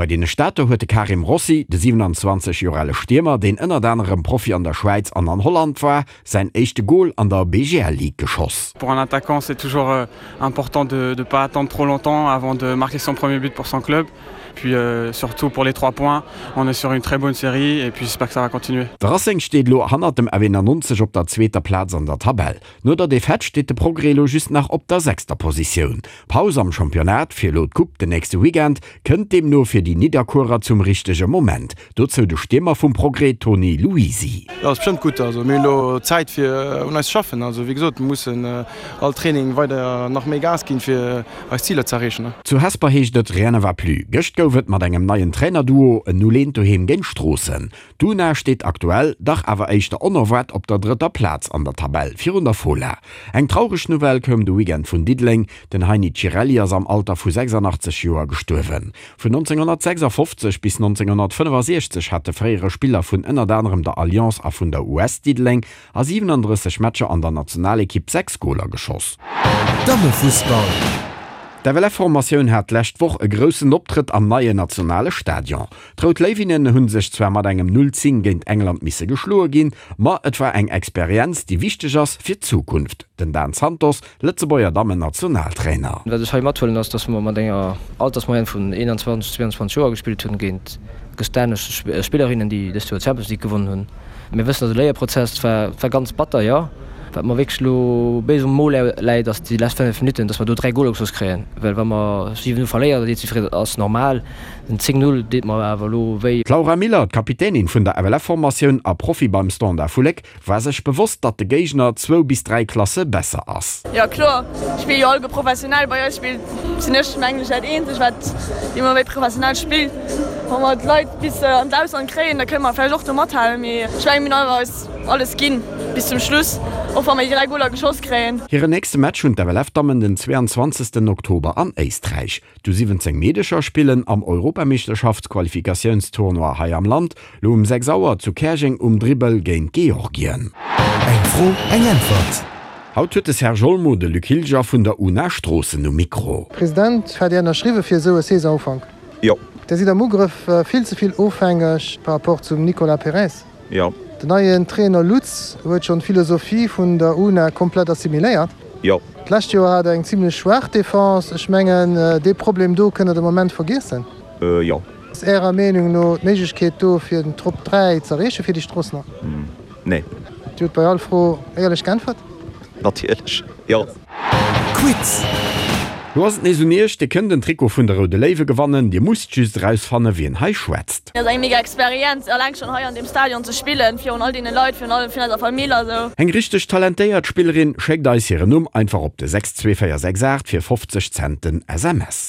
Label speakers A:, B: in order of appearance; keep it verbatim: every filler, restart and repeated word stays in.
A: Bei deene Stater huet de Karim Rossi, de siwenanzwanzeg Joer ale Stiermer, deen ënnert anerem Profi an der Schwäiz an an Holland war, säin éischte Gol an der B G L Ligue geschoss.
B: Pour un attaquant, c'est toujours important de ne pas attendre trop longtemps avant de marquer son premier but pour son club. Puis euh, surtout pour les trois points, on est sur une très bonne série et puis j'espère que ça va continuer.
A: De Racing steet elo hannert dem F N nonzeg op der zweeter Plaz an der Tabell. No der Defaite steet de Progrès elo just nach op der sechster Positioun. Paus am Championnat fir elo d'Coupe den nächste Weekend kënnt deemno fir déi Nidderkuerer zum richtege Moment. Dozou de Stiermer vum Progrès Tony Luisi.
C: Jo, ass bestëmmt gutt. Also mir hunn elo Zäit fir un eis ze schaffen. Also wéi gesot, mir mussen all Training weider nach méi Gas ginn, fir eis Ziler ze erreechen.
A: Zu Hesper heescht et rien ne va plus. Gëscht gouf et mat engem neien Trainerduo en Null eent doheem géint Stroossen. D'Una steet aktuell, dach awer éischter onerwaart, op der drëtter Plaz an der Tabell, virun der Fola. Eng traureg Nouvelle koum de Weekend vun Diddeleng, Den Heini Cirelli ass am Alter vu sechsandachtzeg Joer gestuerwen. Vun nonzénghonnertsechsafofzeg bis nonzénghonnertfënnefasechzeg hat de fréiere Spiller vun ënnert anerem der Alliance a vun der U S Diddeleng a siwenandrësseg Matcher an der Nationalekipp sechs Goler geschoss.
D: Dammefussball.
A: D'F L F-Formatioun hat d'lescht Woch e groussen Optrëtt am neien nationale Stadion. D'Rout Léiwinnen hu sech zwar mat engem Null zéng géint England misse geschloe ginn, ma et war eng Experienz, déi wichteg ass fir d'Zukunft. Den Dan Santos, Lëtzebuerger Dammen-Nationaltrainer.
E: Wat ech hei mathuelen ass, dass mer mat enger Altersmoyenne vun eenanzwanzeg, zweeanzwanzeg Joer gespillt hunn géint gestanesch Spillerinnen, déi dëst Joer d'Champions League gewonnen hunn. Mir wëssen, dass e Léierprozess war, war ganz batter, jo. Wat mer wierklech elo béis um Mo läit, ass déi lescht fënnef Minutten, dass mer do dräi Goler geschoss kréien. Well wa mer siwen Null verléieren, da seet jiddwereen, ass normal. Den zéng Null deet mer awer elo wéi.
A: D'Laura Miller, d'Kapitänin vun der F L F-Formatioun a Profi beim Standard vu Léck, war sech bewosst, datt de Géigner zwou bis dräi Klasse besser ass.
F: Jo kloer, spille jo alleguer professionell. Bei eis spillt, sinn ech mengen ech dat eenzeg wat ëmmer méi professionell spillt. Wa mer d'Leit bis an d'Ausland kréien, da kënne mer vläicht och do mathalen, mee ech menge mir hunn awer eis alles ginn bis zum Schluss, och wa mer déi dräi Goler geschoss kréien.
A: Hiren nächste Match hunn d'F L F-Dammen den zweeanzwanzegsten Oktober an Éisträich. D'U siwwenzéng Meedecher spillen am Europameeschterschaftsqualifikatiounstournoi hei am Land, lo um sechs Auer zu Käerjeng um Dribbel géint Georgien.
D: Eng Fro, eng Äntwert.
A: Haut huet de Serge Olmo de Luc Hilger vun der Una Stroossen um Mikro.
G: President, hat Dir ënnerschriwwe fir esou e Saisonsufank?
H: Jo.
G: Dir sidd am Ugrëff vill ze vill ofhängeg par rapport zum Nicolas Perez.
H: Jo.
G: Den neien Trainer Lutz huet schonn d'Philosophie vun der Una komplett assimiléiert.
H: Jo.
G: D'lescht Joer hat Der eng zimlech schwaach Defense. Ech mengen, dee Problem do kënnt Der de Moment vergiessen.
H: Jo.
G: Ass Ärer Meenung no d'Méiglechkeet do fir den Top dräi ze erreeche fir déi Stroossener?
H: Nee.
G: Dir hutt bei all Fro éierlech geäntwert?
H: Natierlech, jo.
D: Quiz.
A: Lo ass et nees un Iech, Dir kënnt den Trikot vun de Roude Léiwe gewannen. Dir musst just erausfanne wien hei schwätzt.
F: Et ass eng mega Experienz, eleng schonn hei an deem Stadion ze spillen, virun all deene Leit, virun allem virun eiser Famill a sou.
A: Eng richteg talentéiert Spillerin schéckt eis hiren Numm einfach op de sechs zwee véier sechs aacht fir fofzeg Cent den S M S.